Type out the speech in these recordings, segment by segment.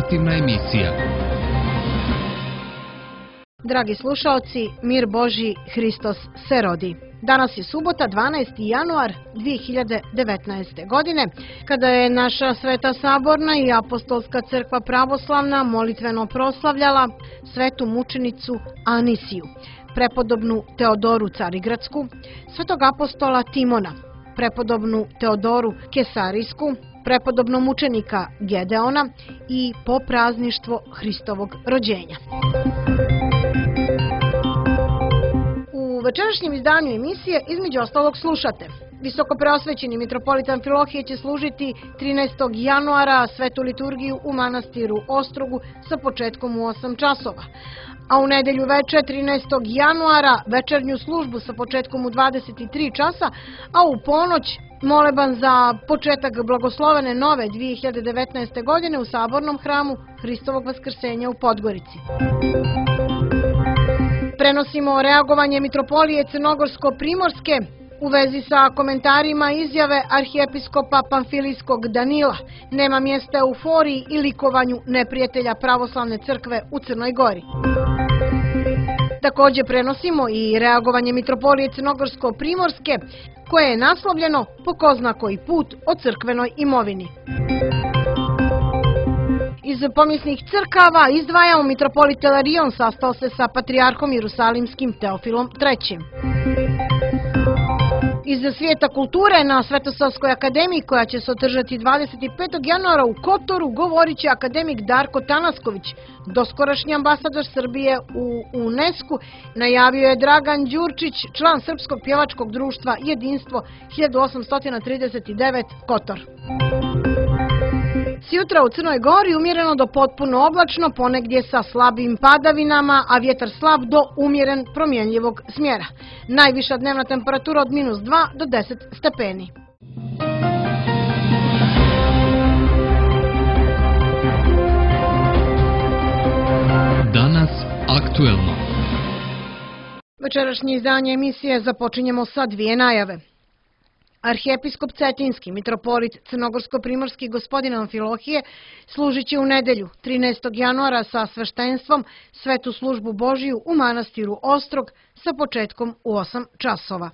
informativna emisija. Dragi slušaoci, mir Božji, Hristos se rodi. Danas je subota, 12. januar 2019. godine, kada je naša Sveta Saborna i Apostolska crkva pravoslavna molitveno proslavljala svetu mučenicu Anisiju, prepodobnu Teodoru Carigradsku, svetog apostola Timona, prepodobnu Teodoru Kesarijsku, prepodobnog mučenika Gedeona i poprazništvo Hristovog rođenja. U večerašnjem izdanju emisije između ostalog slušate: Visokopreosvećeni mitropolit Amfilohije će služiti 13. januara svetu liturgiju u manastiru Ostrogu sa početkom u 8 časova, a u nedelju veče 13. januara večernju službu sa početkom u 23 časa, a u ponoć moleban za početak blagoslovene nove 2019. godine u Sabornom hramu Hristovog vaskrsenja u Podgorici. Prenosimo reagovanje mitropolije Crnogorsko-Primorske u vezi sa komentarima izjave arhijepiskopa Pamfilijskog Danila: nema mjesta euforiji i likovanju neprijatelja pravoslavne crkve u Crnoj Gori. Također prenosimo i reagovanje mitropolije Crnogorsko-Primorske, koje je naslovljeno po ko zna koji put o crkvenoj imovini. Iz pomisnih crkava izdvajamo mitropolit Ilarion sastao se sa patrijarhom Jerusalimskim Teofilom III. Iz svijeta kulture na Svetosavskoj akademiji, koja će se održati 25. januara u Kotoru, govorit će akademik Darko Tanasković, doskorašnji ambasador Srbije u UNESCO, najavio je Dragan Đurčić, član Srpskog pjevačkog društva Jedinstvo 1839 Kotor. Sjutra u Crnoj Gori umjereno do potpuno oblačno, ponegdje sa slabim padavinama, a vjetar slab do umjeren promjenljivog smjera. Najviša dnevna temperatura od -2 do 10 stepeni. Danas aktuelno. Večerašnje izdanje emisije započinjemo sa dvije najave. Arhijepiskop Cetinski, mitropolit Crnogorsko-Primorski gospodin Amfilohije, služit će u nedelju 13. januara sa sveštenstvom svetu službu Božiju u manastiru Ostrog sa početkom u 8 časova.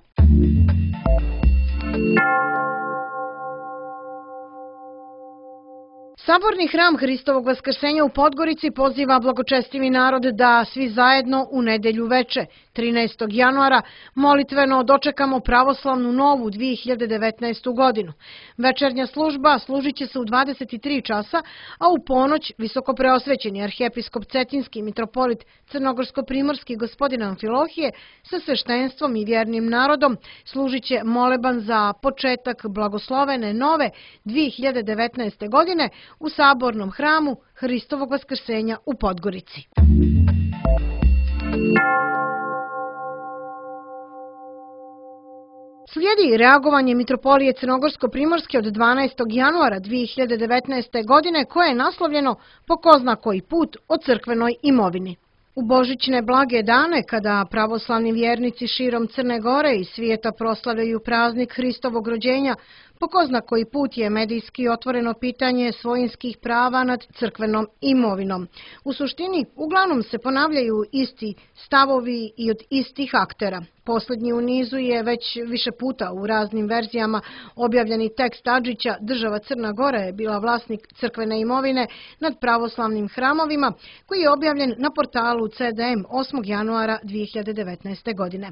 Saborni hram Hristovog vaskrsenja u Podgorici poziva blagočestivi narod da svi zajedno u nedelju veče, 13. januara, molitveno dočekamo pravoslavnu novu 2019. godinu. Večernja služba služit će se u 23 časa, a u ponoć visokopreosvećeni arhijepiskop Cetinski, mitropolit Crnogorsko-Primorski gospodin Amfilohije sa sveštenstvom i vjernim narodom služit će moleban za početak blagoslovene nove 2019. godine u Sabornom hramu Hristovog vaskrsenja u Podgorici. Slijedi reagovanje mitropolije Crnogorsko-Primorske od 12. januara 2019. godine, koje je naslovljeno po ko zna koji put o crkvenoj imovini. U božićne blage dane, kada pravoslavni vjernici širom Crne Gore i svijeta proslavljaju praznik Hristovog rođenja, po ko zna koji put je medijski otvoreno pitanje svojinskih prava nad crkvenom imovinom. U suštini, uglavnom se ponavljaju isti stavovi i od istih aktera. Posljednji u nizu je već više puta u raznim verzijama objavljeni tekst Adžića: država Crna Gora je bila vlasnik crkvene imovine nad pravoslavnim hramovima, koji je objavljen na portalu CDM 8. januara 2019. godine.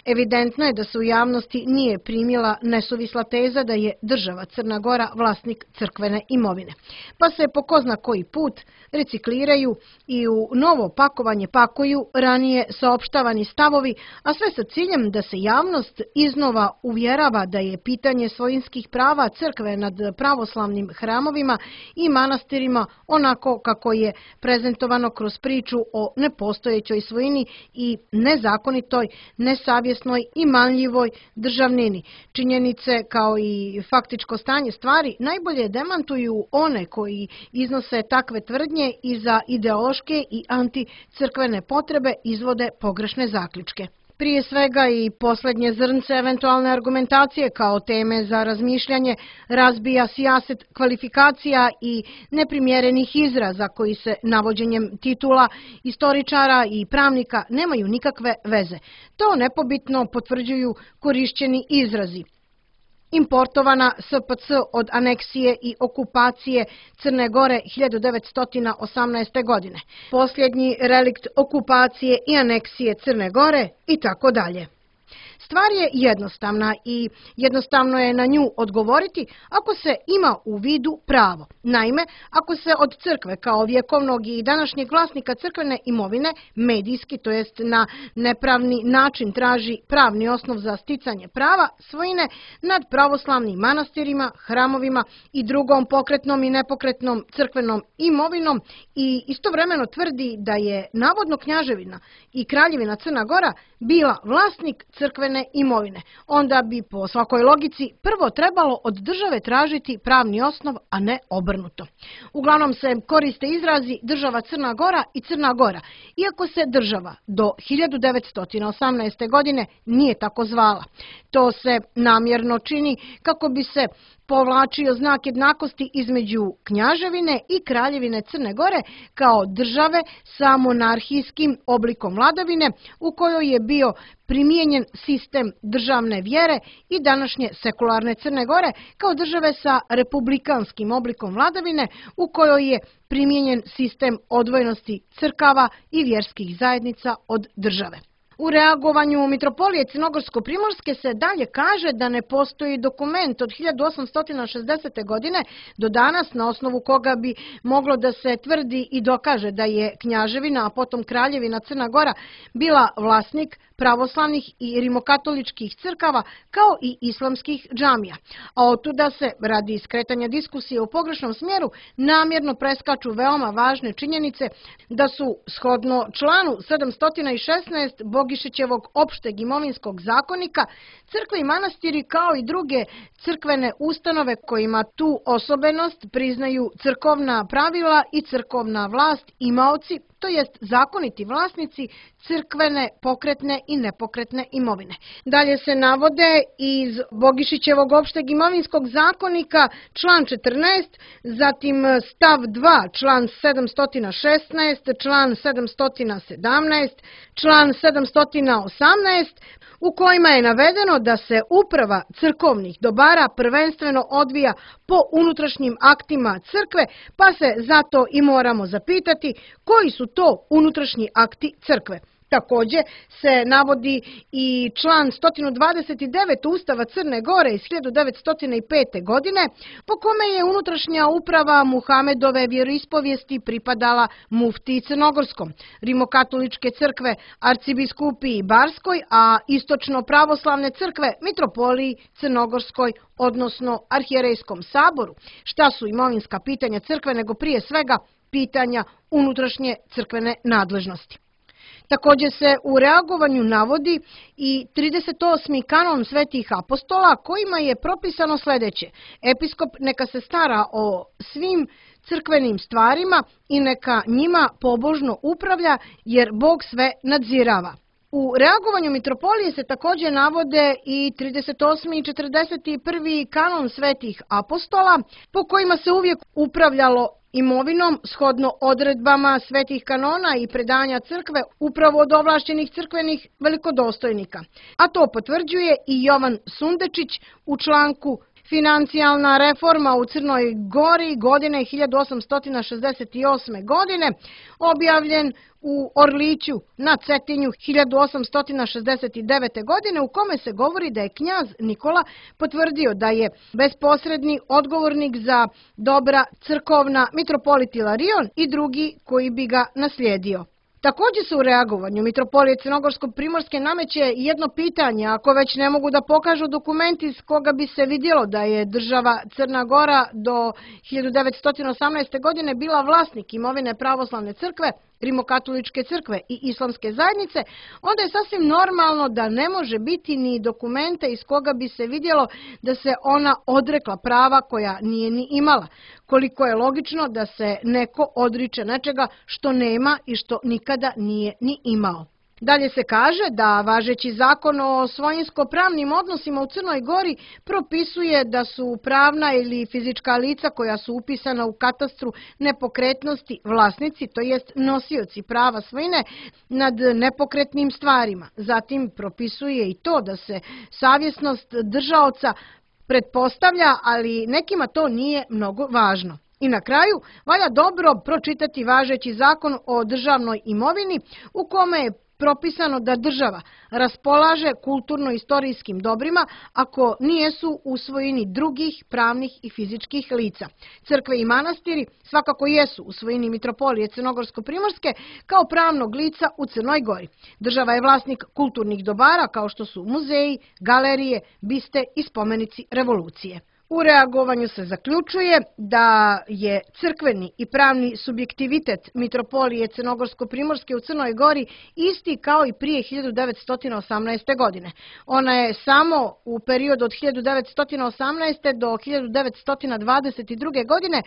Evidentno je da se u javnosti nije primila nesuvisla teza da je država Crna Gora vlasnik crkvene imovine, pa se po ko zna koji put recikliraju i u novo pakovanje pakuju ranije saopštavani stavovi, a sve sa ciljem da se javnost iznova uvjerava da je pitanje svojinskih prava crkve nad pravoslavnim hramovima i manastirima onako kako je prezentovano kroz priču o nepostojećoj svojini i nezakonitoj, nesavjesnoj i manljivoj državnini. Činjenice kao i faktičko stanje stvari najbolje demantuju one koji iznose takve tvrdnje i za ideološke i anticrkvene potrebe izvode pogrešne zaključke. Prije svega i posljednje zrnce eventualne argumentacije kao teme za razmišljanje razbija sijaset kvalifikacija i neprimjerenih izraza koji se navođenjem titula istoričara i pravnika nemaju nikakve veze. To nepobitno potvrđuju korišćeni izrazi. Importovana SPC od aneksije i okupacije Crne Gore 1918. godine, posljednji relikt okupacije i aneksije Crne Gore i tako dalje. Stvar je jednostavna i jednostavno je na nju odgovoriti ako se ima u vidu pravo. Naime, ako se od crkve kao vjekovnog i današnjeg vlasnika crkvene imovine medijski, to jest na nepravni način traži pravni osnov za sticanje prava svojine nad pravoslavnim manastirima, hramovima i drugom pokretnom i nepokretnom crkvenom imovinom i istovremeno tvrdi da je navodno knjaževina i kraljevina Crna Gora bila vlasnik crkvene imovine, onda bi po svakoj logici prvo trebalo od države tražiti pravni osnov, a ne obrnuto. Uglavnom se koriste izrazi država Crna Gora i Crna Gora, iako se država do 1918. godine nije tako zvala. To se namjerno čini kako bi se povlačio znak jednakosti između knjaževine i kraljevine Crne Gore kao države sa monarhijskim oblikom vladavine u kojoj je bio primijenjen sistem državne vjere i današnje sekularne Crne Gore kao države sa republikanskim oblikom vladavine u kojoj je primijenjen sistem odvojenosti crkava i vjerskih zajednica od države. U reagovanju Mitropolije Crnogorsko-primorske se dalje kaže da ne postoji dokument od 1860. godine do danas na osnovu koga bi moglo da se tvrdi i dokaže da je knjaževina, a potom kraljevina Crna Gora bila vlasnik pravoslavnih i rimokatoličkih crkava kao i islamskih džamija. A otuda se, radi skretanja diskusije u pogrešnom smjeru, namjerno preskaču veoma važne činjenice da su shodno članu 716 Bogišićevog opšteg imovinskog zakonika crkve i manastiri kao i druge crkvene ustanove kojima tu osobenost priznaju crkovna pravila i crkovna vlast imaoci, to jest zakoniti vlasnici crkvene, pokretne i nepokretne imovine. Dalje se navode iz Bogišićevog opšteg imovinskog zakonika član 14, zatim stav 2, član 716, član 717, član 718, u kojima je navedeno da se uprava crkovnih dobara prvenstveno odvija po unutrašnjim aktima crkve, pa se zato i moramo zapitati koji su to unutrašnji akti crkve. Također se navodi i član 129 Ustava Crne Gore iz 1905. godine, po kome je unutrašnja uprava Muhamedove vjeroispovijesti pripadala muftiji crnogorskom, rimokatoličke crkve arcibiskupiji Barskoj, a istočno pravoslavne crkve mitropoliji Crnogorskoj, odnosno arhijerejskom saboru. Šta su imovinska pitanja crkve nego prije svega pitanja unutrašnje crkvene nadležnosti. Također se u reagovanju navodi i 38. kanon svetih apostola kojima je propisano sljedeće. Episkop neka se stara o svim crkvenim stvarima i neka njima pobožno upravlja jer Bog sve nadzirava. U reagovanju Mitropolije se također navode i 38. i 41. kanon svetih apostola po kojima se uvijek upravljalo imovinom shodno odredbama svetih kanona i predanja crkve upravo od ovlašćenih crkvenih velikodostojnika. A to potvrđuje i Jovan Sundečić u članku Financijalna reforma u Crnoj Gori godine 1868. godine, objavljen u Orliću na Cetinju 1869. godine, u kome se govori da je knjaz Nikola potvrdio da je bezposredni odgovornik za dobra crkovna mitropolit Ilarion i drugi koji bi ga naslijedio. Također se u reagovanju Mitropolije Crnogorsko-primorske nameće jedno pitanje, ako već ne mogu da pokažu dokumenti iz koga bi se vidjelo da je država Crna Gora do 1918. godine bila vlasnik imovine pravoslavne crkve, rimokatoličke crkve i islamske zajednice, onda je sasvim normalno da ne može biti ni dokumenta iz koga bi se vidjelo da se ona odrekla prava koja nije ni imala. Koliko je logično da se neko odriče nečega što nema i što nikada nije ni imao. Dalje se kaže da važeći zakon o svojinsko-pravnim odnosima u Crnoj Gori propisuje da su pravna ili fizička lica koja su upisana u katastru nepokretnosti vlasnici, to jest nosioci prava svojine nad nepokretnim stvarima. Zatim propisuje i to da se savjesnost držaoca pretpostavlja, ali nekima to nije mnogo važno. I na kraju, valja dobro pročitati važeći zakon o državnoj imovini u kome je propisano da država raspolaže kulturno-istorijskim dobrima ako nijesu u svojini drugih pravnih i fizičkih lica. Crkve i manastiri svakako jesu u svojini Mitropolije Crnogorsko-primorske kao pravnog lica u Crnoj Gori. Država je vlasnik kulturnih dobara kao što su muzeji, galerije, biste i spomenici revolucije. U reagovanju se zaključuje da je crkveni i pravni subjektivitet Mitropolije Crnogorsko-primorske u Crnoj Gori isti kao i prije 1918. godine. Ona je samo u periodu od 1918. do 1922. godine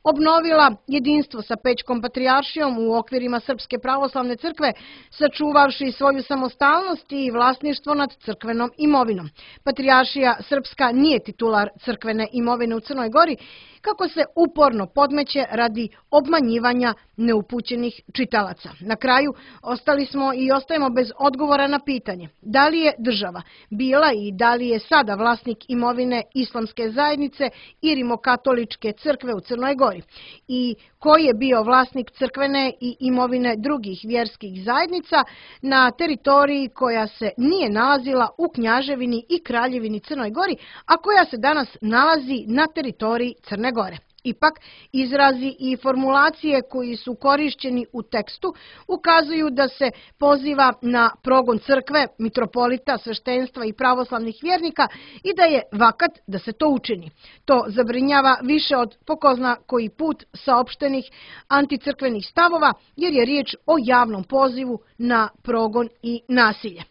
obnovila jedinstvo sa Pećkom patrijaršijom u okvirima Srpske pravoslavne crkve, sačuvavši svoju samostalnost i vlasništvo nad crkvenom imovinom. Patrijaršija Srpska nije titular crkvene imovine u Crnoj Gori, kako se uporno podmeće radi obmanjivanja neupućenih čitalaca. Na kraju, ostali smo i ostajemo bez odgovora na pitanje da li je država bila i da li je sada vlasnik imovine Islamske zajednice i Rimokatoličke crkve u Crnoj Gori i koji je bio vlasnik crkvene i imovine drugih vjerskih zajednica na teritoriji koja se nije nalazila u Knjaževini i Kraljevini Crnoj Gori, a koja se danas nalazi na teritoriji Crne Gore. Ipak, izrazi i formulacije koji su korišćeni u tekstu ukazuju da se poziva na progon crkve, mitropolita, sveštenstva i pravoslavnih vjernika i da je vakat da se to učini. To zabrinjava više od po ko zna koji put saopštenih anticrkvenih stavova, jer je riječ o javnom pozivu na progon i nasilje.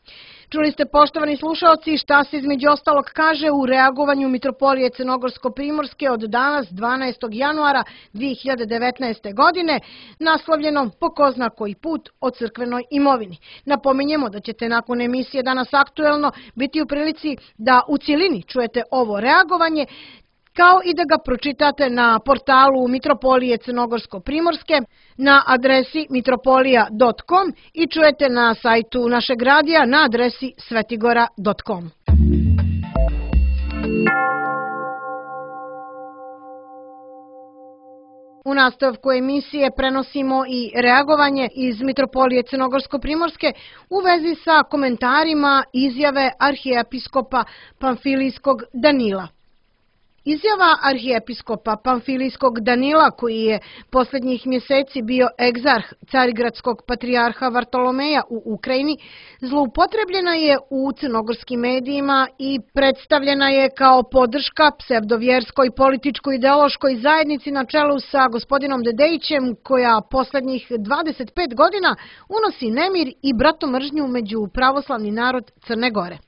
Čuli ste, poštovani slušalci, šta se između ostalog kaže u reagovanju Mitropolije Crnogorsko-primorske od danas 12. januara 2019. godine, naslovljeno po ko zna koji put o crkvenoj imovini. Napominjemo da ćete nakon emisije Danas aktuelno biti u prilici da u cjelini čujete ovo reagovanje, kao i da ga pročitate na portalu Mitropolije Crnogorsko-primorske na adresi mitropolija.com i čujete na sajtu našeg radija na adresi svetigora.com. U nastavku emisije prenosimo i reagovanje iz Mitropolije Crnogorsko-primorske u vezi sa komentarima izjave arhijepiskopa Pamfilijskog Danila. Izjava arhijepiskopa Pamfilijskog Danila, koji je posljednjih mjeseci bio egzarh carigradskog patrijarha Vartolomeja u Ukrajini, zloupotrebljena je u crnogorskim medijima i predstavljena je kao podrška psevdovjerskoj političko-ideološkoj zajednici na čelu sa gospodinom Dedejićem, koja posljednjih 25 godina unosi nemir i bratomržnju među pravoslavni narod Crne Gore.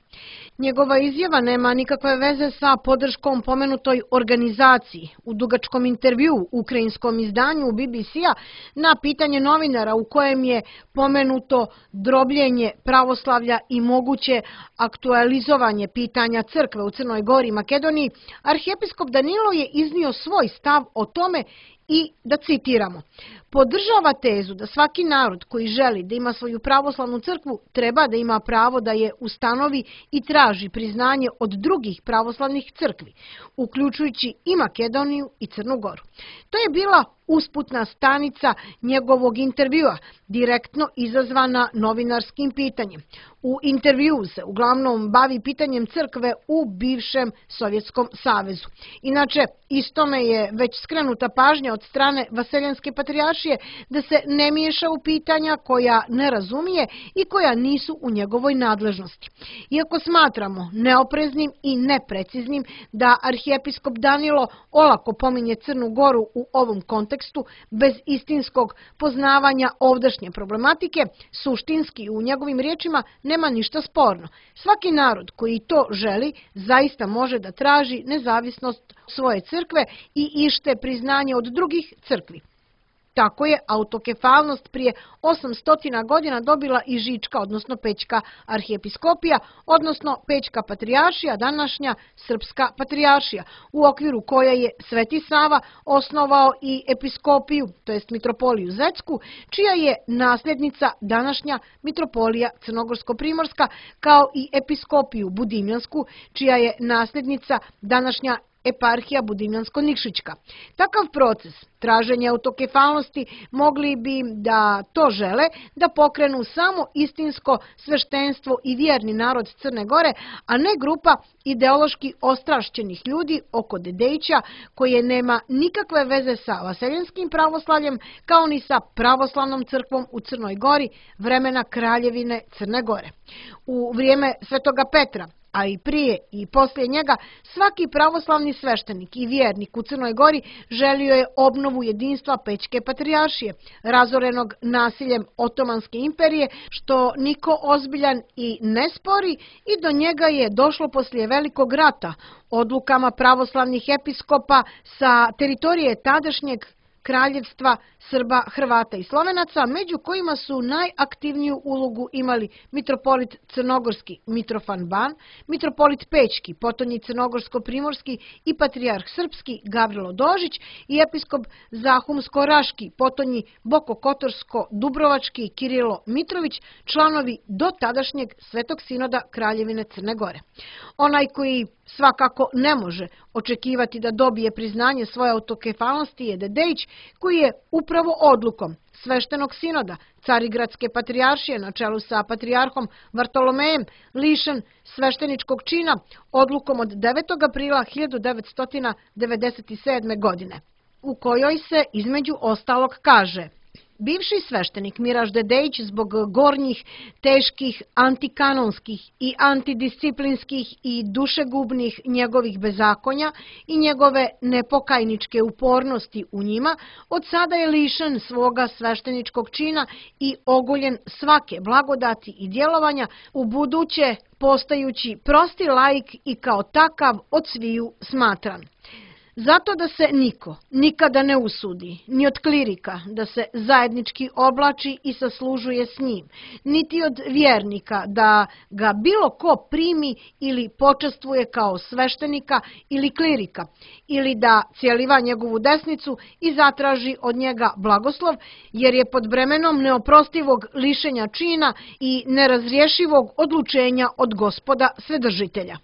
Njegova izjava nema nikakve veze sa podrškom pomenutoj organizaciji. U dugačkom intervjuu ukrajinskom izdanju BBC-a na pitanje novinara u kojem je pomenuto drobljenje pravoslavlja i moguće aktualizovanje pitanja crkve u Crnoj Gori i Makedoniji, arhijepiskop Danilo je iznio svoj stav o tome i da citiramo: podržava tezu da svaki narod koji želi da ima svoju pravoslavnu crkvu treba da ima pravo da je ustanovi i traži priznanje od drugih pravoslavnih crkvi, uključujući i Makedoniju i Crnu Goru. To je bila usputna stanica njegovog intervjua, direktno izazvana novinarskim pitanjem. U intervjuu se uglavnom bavi pitanjem crkve u bivšem Sovjetskom savezu. Inače, istome je već skrenuta pažnja od strane Vaseljenske patrijaršije da se ne miješa u pitanja koja ne razumije i koja nisu u njegovoj nadležnosti. Iako smatramo neopreznim i nepreciznim da arhijepiskop Danilo olako pominje Crnu Goru u ovom kontekstu bez istinskog poznavanja ovdašnje problematike, suštinski u njegovim riječima nema ništa sporno. Svaki narod koji to želi zaista može da traži nezavisnost svoje crkve i ište priznanje od drugih crkvi. Tako je autokefalnost prije 800 godina dobila i Žička, odnosno Pećka arhijepiskopija, odnosno Pećka patrijaršija, današnja Srpska patrijaršija, u okviru koja je Sveti Sava osnovao i episkopiju, to jest mitropoliju Zecku, čija je nasljednica današnja mitropolija Crnogorsko-primorska, kao i episkopiju Budimljansku, čija je nasljednica današnja eparhija Budimljansko-Nikšićka. Takav proces traženja autokefalnosti mogli bi, da to žele, da pokrenu samo istinsko sveštenstvo i vjerni narod Crne Gore, a ne grupa ideološki ostrašćenih ljudi oko Dedejića, koje nema nikakve veze sa vaseljenskim pravoslavljem, kao ni sa pravoslavnom crkvom u Crnoj Gori vremena Kraljevine Crne Gore. U vrijeme Svetoga Petra, a i prije i poslije njega, svaki pravoslavni sveštenik i vjernik u Crnoj Gori želio je obnovu jedinstva Pećke patrijaršije, razorenog nasiljem Otomanske imperije, što niko ozbiljan i ne spori, i do njega je došlo poslije Velikog rata, odlukama pravoslavnih episkopa sa teritorije tadašnjeg kraljevstva Srba, Hrvata i Slovenaca, među kojima su najaktivniju ulogu imali mitropolit Crnogorski Mitrofan Ban, mitropolit Pećki, potonji Crnogorsko-primorski i patrijarh Srpski Gavrilo Dožić i episkop Zahumsko-Raški, potonji Bokokotorsko-Dubrovački Kirilo Mitrović, članovi do tadašnjeg Svetog sinoda Kraljevine Crne Gore. Onaj koji svakako ne može očekivati da dobije priznanje svoje autokefalnosti je Dedejić, koji je upravo odlukom Sveštenog sinoda Carigradske patrijaršije na čelu sa patrijarhom Vartolomejem lišen svešteničkog čina odlukom od 9. aprila 1997. godine, u kojoj se između ostalog kaže: bivši sveštenik Miraž Dedejić zbog gornjih, teških, antikanonskih i antidisciplinskih i dušegubnih njegovih bezakonja i njegove nepokajničke upornosti u njima, od sada je lišen svoga svešteničkog čina i ogoljen svake blagodati i djelovanja, u buduće postajući prosti laik i kao takav od sviju smatran. Zato da se niko nikada ne usudi, ni od klirika, da se zajednički oblači i saslužuje s njim, niti od vjernika da ga bilo ko primi ili počastvuje kao sveštenika ili klirika, ili da cijeliva njegovu desnicu i zatraži od njega blagoslov, jer je pod bremenom neoprostivog lišenja čina i nerazriješivog odlučenja od Gospoda Svedržitelja.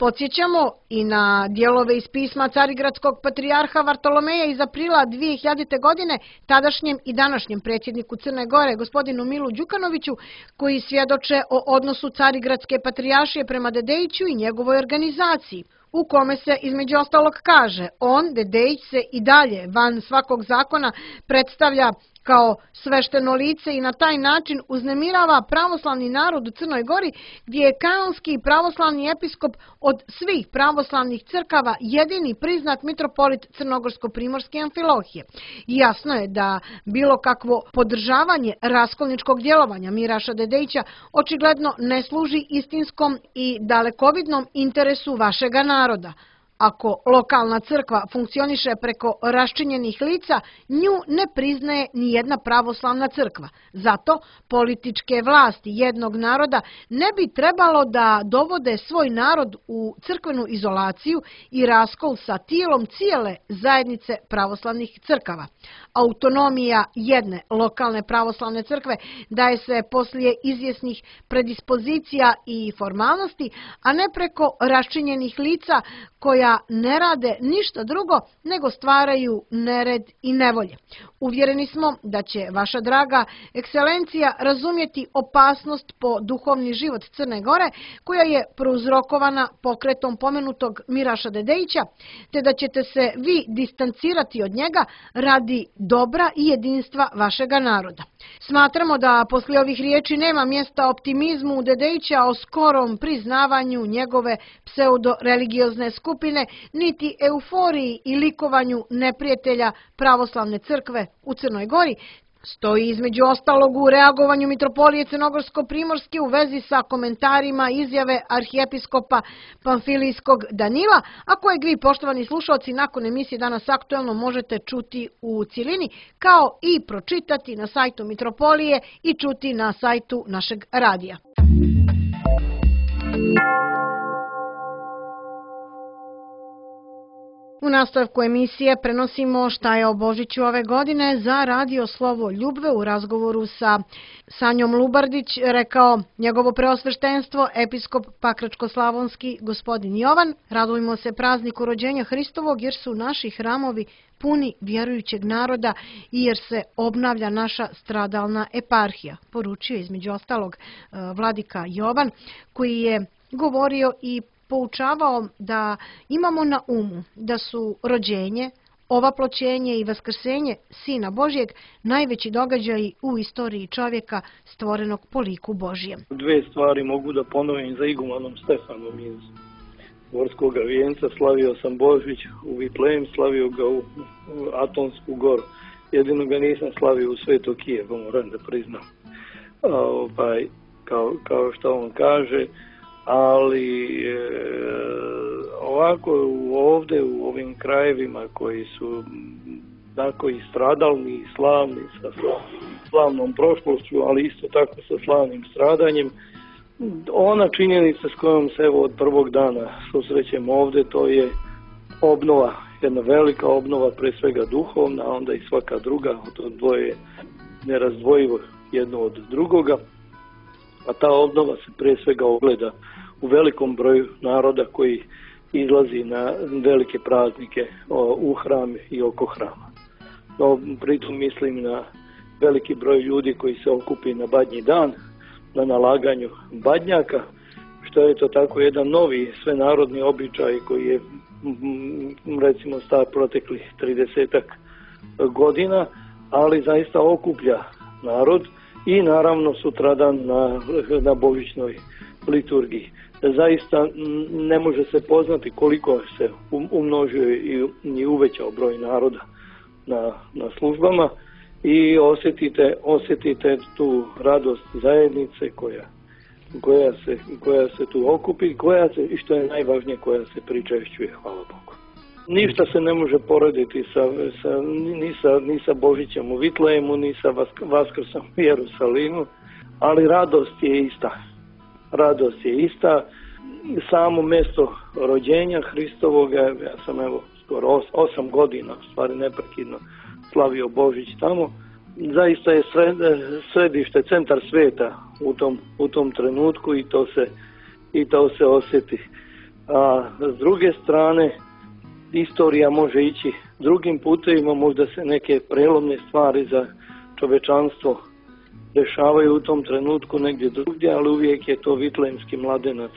Podsjećamo i na dijelove iz pisma Carigradskog patrijarha Vartolomeja iz aprila 2000. godine tadašnjem i današnjem predsjedniku Crne Gore, gospodinu Milu Đukanoviću, koji svjedoče o odnosu Carigradske patrijaršije prema Dedejiću i njegovoj organizaciji, u kome se između ostalog kaže: on, Dedejić, se i dalje van svakog zakona predstavlja kao svešteno lice i na taj način uznemirava pravoslavni narod u Crnoj Gori, gdje je kanonski pravoslavni episkop od svih pravoslavnih crkava jedini priznat mitropolit Crnogorsko-primorske Amfilohije. Jasno je da bilo kakvo podržavanje raskolničkog djelovanja Miraša Dedejića očigledno ne služi istinskom i dalekovidnom interesu vašega naroda. Ako lokalna crkva funkcioniše preko raščinjenih lica, nju ne priznaje ni jedna pravoslavna crkva. Zato političke vlasti jednog naroda ne bi trebalo da dovode svoj narod u crkvenu izolaciju i raskol sa tijelom cijele zajednice pravoslavnih crkava. Autonomija jedne lokalne pravoslavne crkve daje se poslije izvjesnih predispozicija i formalnosti, a ne preko raščinjenih lica koja ne rade ništa drugo nego stvaraju nered i nevolje. Uvjereni smo da će vaša draga ekscelencija razumjeti opasnost po duhovni život Crne Gore, koja je prouzrokovana pokretom pomenutog Miraša Dedejića, te da ćete se vi distancirati od njega radi dobra i jedinstva vašega naroda. Smatramo da poslije ovih riječi nema mjesta optimizmu Dedejića o skorom priznavanju njegove pseudo-religiozne skupine, niti euforiji i likovanju neprijatelja pravoslavne crkve u Crnoj Gori, stoji između ostalog u reagovanju Mitropolije Crnogorsko-primorske u vezi sa komentarima izjave arhijepiskopa Pamfilijskog Danila, a kojeg vi, poštovani slušalci, nakon emisije Danas aktuelno možete čuti u cilini, kao i pročitati na sajtu Mitropolije i čuti na sajtu našeg radija. U nastavku emisije prenosimo šta je o Božiću ove godine za radio Slovo Ljubve. U razgovoru sa Sanjom Lubardić rekao njegovo preosveštenstvo, episkop Pakračko-slavonski gospodin Jovan. Radujmo se prazniku rođenja Hristovog jer su naši hramovi puni vjerujućeg naroda i jer se obnavlja naša stradalna eparhija, poručio između ostalog vladika Jovan, koji je govorio i poučavao da imamo na umu da su rođenje, ovaploćenje i vaskrsenje Sina Božjeg najveći događaji u istoriji čovjeka stvorenog po liku Božjem. Dve stvari mogu da ponovim za igumanom Stefanom iz Gorskog vijenca. Slavio sam Božić u Vitlejem, slavio ga u Atonsku goru. Jedino ga nisam slavio u Sveto Kijevo, moram da priznam. Kao što on kaže, ali ovako ovdje u ovim krajevima koji su tako i stradalni i slavni sa slavnom prošlošću, ali isto tako sa slavnim stradanjem, ona činjenica s kojom se evo od prvog dana susrećemo ovdje, to je obnova, jedna velika obnova, pre svega duhovna, a onda i svaka druga, to dvoje nerazdvojivo jedno od drugoga. A ta obnova se prije svega ogleda u velikom broju naroda koji izlazi na velike praznike u hram i oko hrama. No, pritom mislim na veliki broj ljudi koji se okupi na Badnji dan, na nalaganju badnjaka, što je to tako jedan novi svenarodni običaj koji je recimo star proteklih 30 godina, ali zaista okuplja narod i naravno sutradan na božićnoj liturgiji. Zaista ne može se poznati koliko se umnožio i uvećao broj naroda na službama i osjetite tu radost zajednice koja se tu okupi i što je najvažnije, koja se pričešćuje, hvala Bogu. Ništa se ne može porediti ni sa Božićem u Vitlejemu, ni sa Vaskrsom u Jerusalimu, ali radost je ista. Radost je ista. Samo mjesto rođenja Hristovoga, ja sam evo skoro 8 godina, u stvari neprekidno slavio Božić tamo, zaista je središte, centar sveta u tom trenutku i to se osjeti. A s druge strane, istorija može ići drugim putevima, možda se neke prelomne stvari za čovečanstvo dešavaju u tom trenutku negdje drugdje, ali uvijek je to vitlejemski mladenac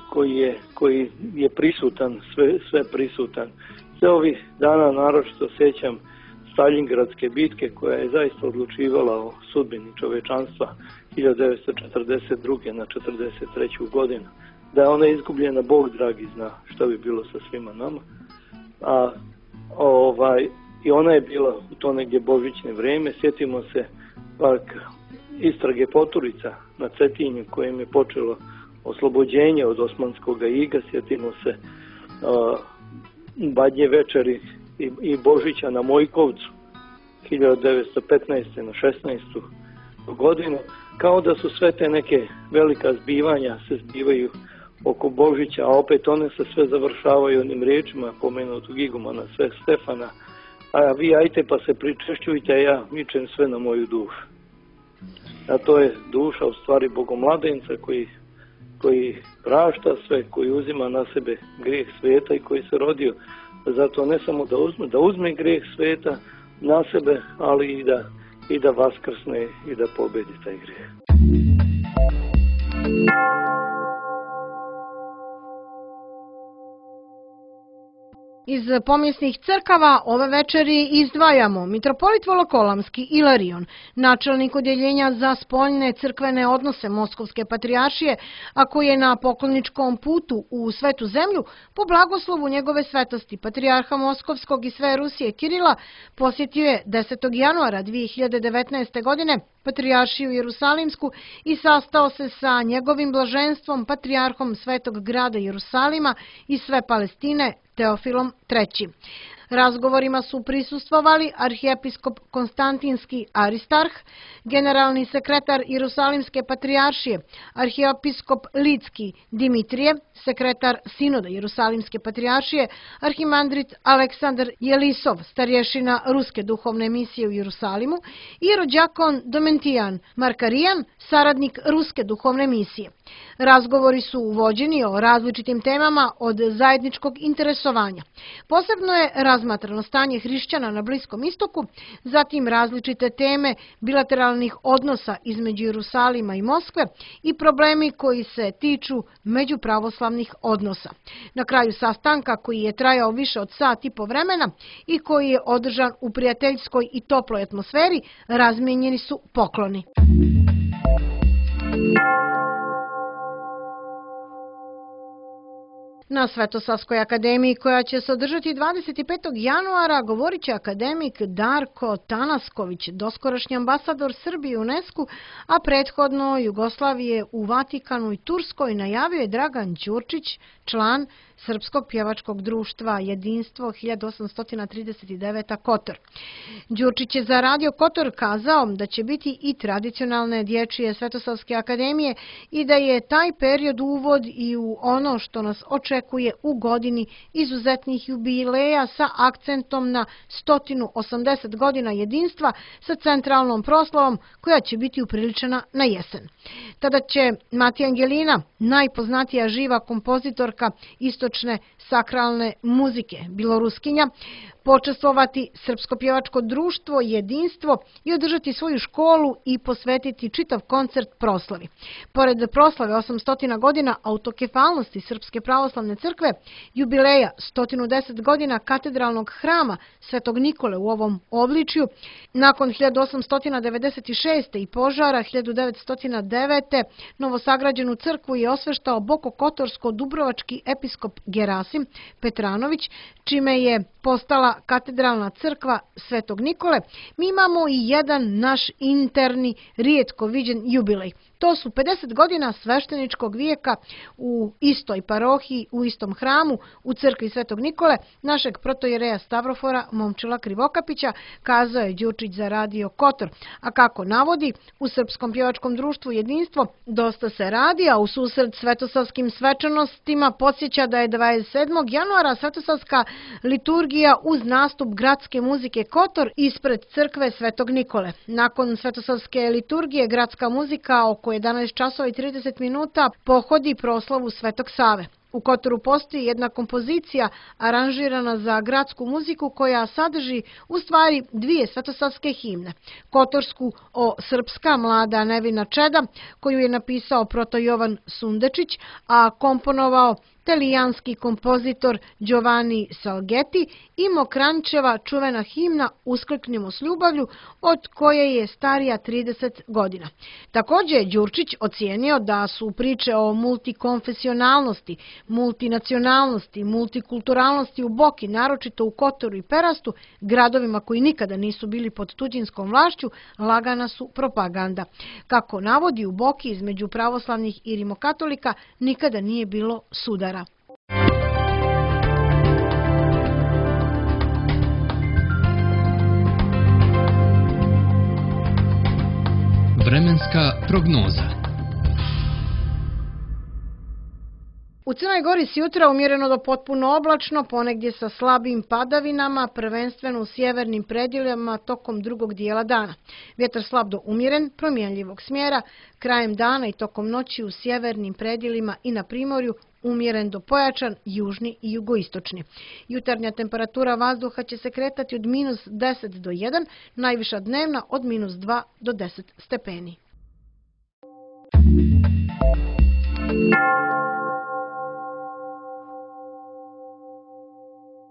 koji je prisutan, sve prisutan. Sve ovih dana naročito sjećam Staljingradske bitke koja je zaista odlučivala o sudbini čovečanstva 1942. na 1943. godinu. Da je ona izgubljena, Bog dragi zna što bi bilo sa svima nama. I ona je bila u to negdje božićne vrijeme. Sjetimo se pak istrage Poturica na Cetinju kojim je počelo oslobođenje od osmanskog iga. Sjetimo se Badnje večeri i Božića na Mojkovcu 1915. na 16. godinu. Kao da su sve te neke velika zbivanja se zbivaju oko Božića, a opet one se sve završavaju onim riječima pomenutog igumana Stefana: a vi ajte pa se pričešćujte, a ja mičem sve na moju dušu. A to je duša u stvari Bogomladenca koji prašta sve, koji uzima na sebe grijeh svijeta i koji se rodio zato ne samo da uzme grijeh svijeta na sebe, ali i da vaskrsne i da pobedi taj grijeh. Iz pomjesnih crkava ove večeri izdvajamo mitropolit Volokolamski Ilarion, načelnik odjeljenja za spoljne crkvene odnose Moskovske patrijaršije, a koji je na pokloničkom putu u Svetu zemlju po blagoslovu njegove svetosti patrijarha Moskovskog i sve Rusije Kirila posjetio je 10. januara 2019. godine patrijaršiju Jerusalimsku i sastao se sa njegovim blaženstvom patrijarhom Svetog grada Jerusalima i sve Palestine Teofilom III. Razgovorima su prisustvovali arhijepiskop Konstantinski Aristarh, generalni sekretar Jerusalimske patrijaršije, arhijepiskop Lidski Dimitrije, sekretar Sinoda Jerusalimske patrijaršije, arhimandrit Aleksandar Jelisov, starješina Ruske duhovne misije u Jerusalimu i rođakon Domentijan Markarijan, saradnik Ruske duhovne misije. Razgovori su vođeni o različitim temama od zajedničkog interesovanja. Posebno je razmatrano stanje hrišćana na Bliskom istoku, zatim različite teme bilateralnih odnosa između Jerusalima i Moskve i problemi koji se tiču međupravoslavnih odnosa. Na kraju sastanka, koji je trajao više od sat i po vremena i koji je održan u prijateljskoj i toploj atmosferi, razmijenjeni su pokloni. Na Svetosavskoj akademiji, koja će se održati 25. januara, govorit će akademik Darko Tanasković, doskorašnji ambasador Srbije u UNESCO, a prethodno Jugoslavije u Vatikanu i Turskoj, najavio je Dragan Đurčić, član Srpskog pjevačkog društva Jedinstvo 1839 Kotor. Đurčić je za Radio Kotor kazao da će biti i tradicionalne dječje Svetosavske akademije i da je taj period uvod i u ono što nas očekuje u godini izuzetnih jubileja sa akcentom na 180 godina jedinstva sa centralnom proslavom koja će biti upriličena na jesen. Tada će Matija Angelina, najpoznatija živa kompozitorka istočne sakralne muzike, Biloruskinja, počestvovati Srpsko pjevačko društvo Jedinstvo i održati svoju školu i posvetiti čitav koncert proslavi. Pored proslave 800 godina autokefalnosti Srpske pravoslavne crkve, jubileja 110 godina katedralnog hrama Svetog Nikole u ovom obličju, nakon 1896. i požara 1909. novosagrađenu crkvu je osveštao bokokotorsko-dubrovački episkop Gerasim Petranović, čime je postala katedralna crkva Svetog Nikole. Mi imamo i jedan naš interni, rijetko viđen jubilej. To su 50 godina svešteničkog vijeka u istoj parohiji, u istom hramu, u crkvi Svetog Nikole, našeg protojereja Stavrofora Momčila Krivokapića, kazao je Đurčić za Radio Kotor. A kako navodi, u Srpskom pjevačkom društvu Jedinstvo dosta se radi, a u susret svetosavskim svečanostima podsjeća da je 27. januara svetosavska liturgija uz nastup gradske muzike Kotor ispred crkve Svetog Nikole. Nakon svetosavske liturgije gradska muzika oko 11 časova i 30 minuta pohodi proslavu Svetog Save. U Kotoru postoji jedna kompozicija aranžirana za gradsku muziku koja sadrži u stvari dvije svetosavske himne. Kotorsku o Srpska mlada nevina čeda, koju je napisao proto Jovan Sundečić, a komponovao talijanski kompozitor Giovanni Salgetti, i Mokrančeva čuvena himna Uskliknimo s ljubavlju, od koje je starija 30 godina. Također je Đurčić ocijenio da su priče o multikonfesionalnosti, multinacionalnosti, multikulturalnosti u Boki, naročito u Kotoru i Perastu, gradovima koji nikada nisu bili pod tuđinskom vlašću, lagana su propaganda. Kako navodi, u Boki između pravoslavnih i rimokatolika nikada nije bilo sudara. Vremenska prognoza. U Crnoj Gori s jutra umjereno do potpuno oblačno, ponegdje sa slabim padavinama, prvenstveno u sjevernim predjelima tokom drugog dijela dana. Vjetar slab do umjeren, promjenljivog smjera, krajem dana i tokom noći u sjevernim predjelima i na primorju umjeren do pojačan, južni i jugoistočni. Jutarnja temperatura vazduha će se kretati od -10 do 1, najviša dnevna od -2 do 10 stepeni.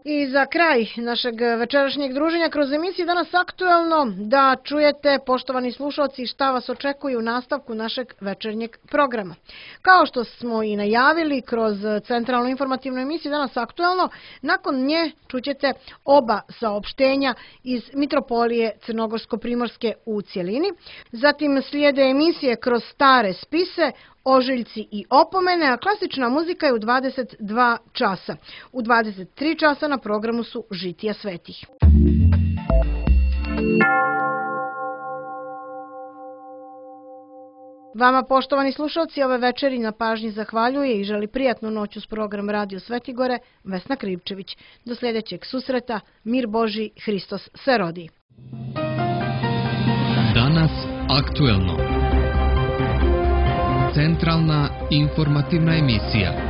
I za kraj našeg večerašnjeg druženja kroz emisiju Danas aktuelno da čujete, poštovani slušalci, šta vas očekuje u nastavku našeg večernjeg programa. Kao što smo i najavili kroz centralnu informativnu emisiju Danas aktuelno, nakon nje čućete oba saopštenja iz Mitropolije Crnogorsko-Primorske u cjelini. Zatim slijede emisije kroz stare spise, ožiljci i opomene, a klasična muzika je u 22 časa. U 23 časa na programu su Žitija svetih. Vama, poštovani slušalci, ove večeri na pažnji zahvaljuje i želi prijatnu noć uz program Radio Svetigore Vesna Krivčević. Do sljedećeg susreta, mir Božji, Hristos se rodi. Danas aktuelno. Centralna informativna emisija.